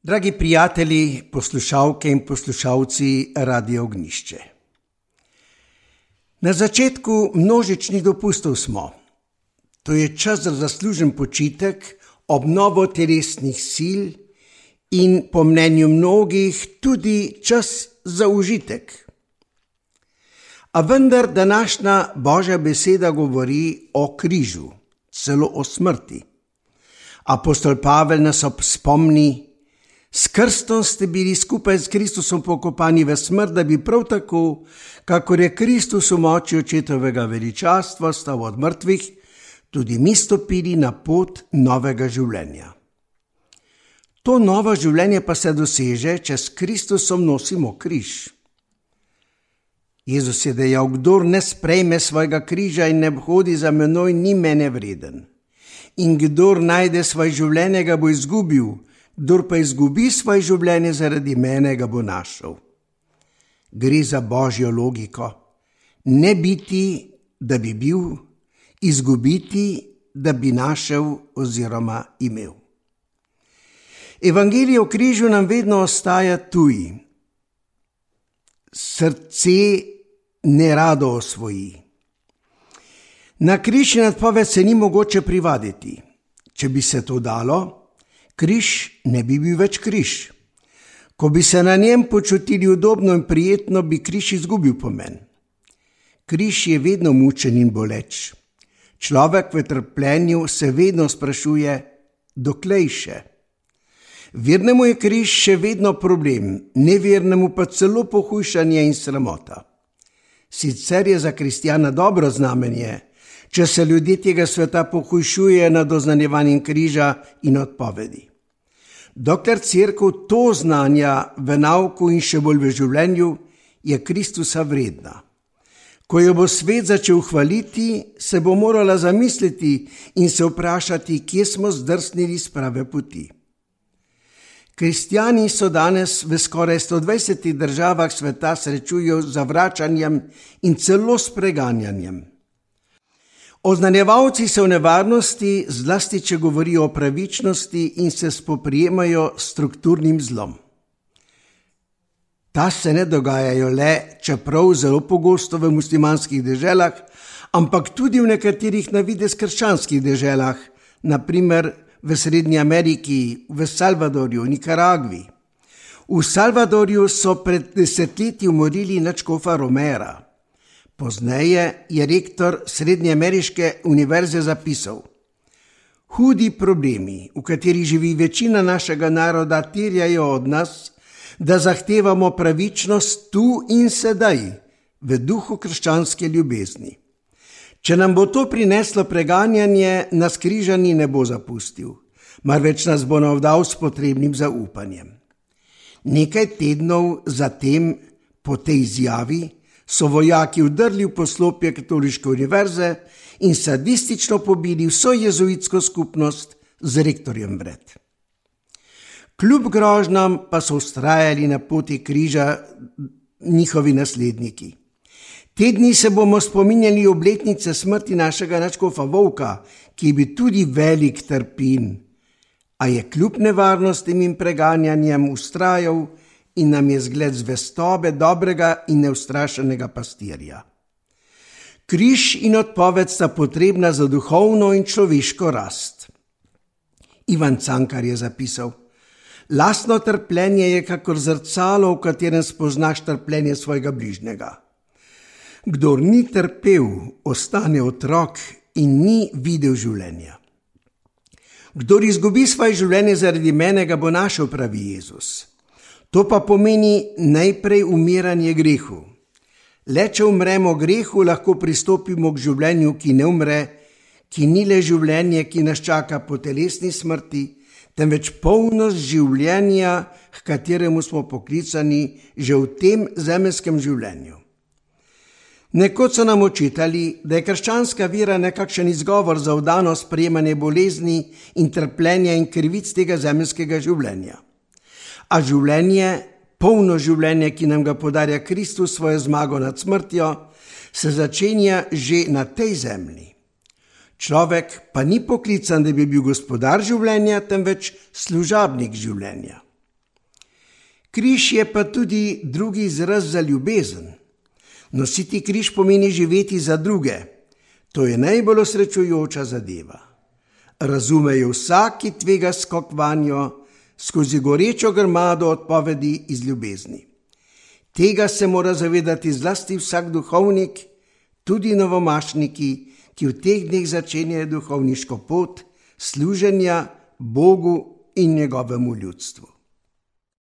Dragi prijatelji, poslušalke in poslušalci Radia Ognjišče. Na začetku množičnih dopustov smo. To je čas za zaslužen počitek, obnovo telesnih sil in po mnenju mnogih tudi čas za užitek. A vendar današnja Božja beseda govori o križu, celo o smrti. Apostol Pavel nas spomni: s krstom ste bili skupaj s Kristusom pokopani v smrt, da bi prav tako, kakor je Kristus v moči očetovega veličastva stal od mrtvih, tudi mi stopili na pot novega življenja. To novo življenje pa se doseže, če s Kristusom nosimo križ. Jezus je dejal: kdor ne sprejme svojega križa in ne hodi za menoj, ni mene vreden. In kdor najde svoje življenje, ga bo izgubil, kdor pa izgubi svoje življenje zaradi mene, ga bo našel. Gre za Božjo logiko. Ne biti, da bi bil, izgubiti, da bi našel oziroma imel. Evangelij o križu nam vedno ostaja tuj. Srce nerado osvoji. Na križ in odpoved se ni mogoče privaditi. Če bi se to dalo, križ ne bi bil več križ. Ko bi se na njem počutili udobno in prijetno, bi križ izgubil pomen. Križ je vedno mučen in boleč. Človek v trpljenju se vedno sprašuje, doklej še. Vernemu je križ še vedno problem, nevernemu pa celo pohujšanje in sramota. Sicer je za kristjana dobro znamenje, če se ljudje tega sveta pohujšujejo nad oznanjevanjem križa in odpovedi. Dokler cerkev to znanja v nauku in še bolj v življenju, je Kristusa vredna. Ko jo bo svet začel hvaliti, se bo morala zamisliti in se vprašati, kje smo zdrsnili s prave poti. Kristjani so danes v skoraj 120 državah sveta srečujejo z zavračanjem in celo s preganjanjem. Oznanjevalci so v nevarnosti, zlasti če govorijo o pravičnosti in se spoprijemajo s strukturnim zlom. Ta se ne dogajajo le, čeprav zelo pogosto v muslimanskih deželah, ampak tudi v nekaterih na videz krščanskih deželah, na primer v Srednji Ameriki, v Salvadorju, Nikaragvi. V Salvadorju so pred desetletji umorili nadškofa Romera. Pozneje je rektor Srednjeameriške univerze zapisal: hudi problemi, v katerih živi večina našega naroda, terjajo od nas, da zahtevamo pravičnost tu in sedaj, v duhu krščanske ljubezni. Če nam bo to prineslo preganjanje, nas križani ne bo zapustil, marveč nas bo navdal s potrebnim zaupanjem. Nekaj tednov zatem, po tej izjavi, so vojaki vdrli v poslopje Katoliške univerze in sadistično pobili vso jezuitsko skupnost z rektorjem vred. Kljub grožnjam pa so vztrajali na poti križa njihovi nasledniki. Te dni se bomo spominjali obletnice smrti našega nadškofa Vovka, ki je bil tudi velik trpin, a je kljub nevarnostim in preganjanjem vztrajal in nam je zgled zvestobe dobrega in neustrašenega pastirja. Križ in odpoved sta potrebna za duhovno in človeško rast. Ivan Cankar je zapisal: lastno trpljenje je kakor zrcalo, v katerem spoznaš trpljenje svojega bližnjega. Kdor ni trpel, ostane otrok in ni videl življenja. Kdor izgubi svoje življenje zaradi mene, ga bo našel, pravi Jezus. To pa pomeni najprej umiranje grehu. Le če umremo grehu, lahko pristopimo k življenju, ki ne umre, ki ni le življenje, ki nas čaka po telesni smrti, temveč polnost življenja, h kateremu smo poklicani že v tem zemeljskem življenju. Nekoč so nam očitali, da je krščanska vera nekakšen izgovor za vdano sprejemanje bolezni in trpljenja in krivic tega zemeljskega življenja. A življenje, polno življenje, ki nam ga podarja Kristus svojo zmago nad smrtjo, se začenja že na tej zemlji. Človek pa ni poklican, da bi bil gospodar življenja, temveč služabnik življenja. Križ je pa tudi drugi izraz za ljubezen. Nositi križ pomeni živeti za druge. To je najbolj osrečujoča zadeva. Razumejo vsak, ki tvega skok vanjo, skozi gorečo grmado odpovedi iz ljubezni. Tega se mora zavedati zlasti vsak duhovnik, tudi novomašniki, ki v teh dneh začenjajo duhovniško pot služenja Bogu in njegovemu ljudstvu.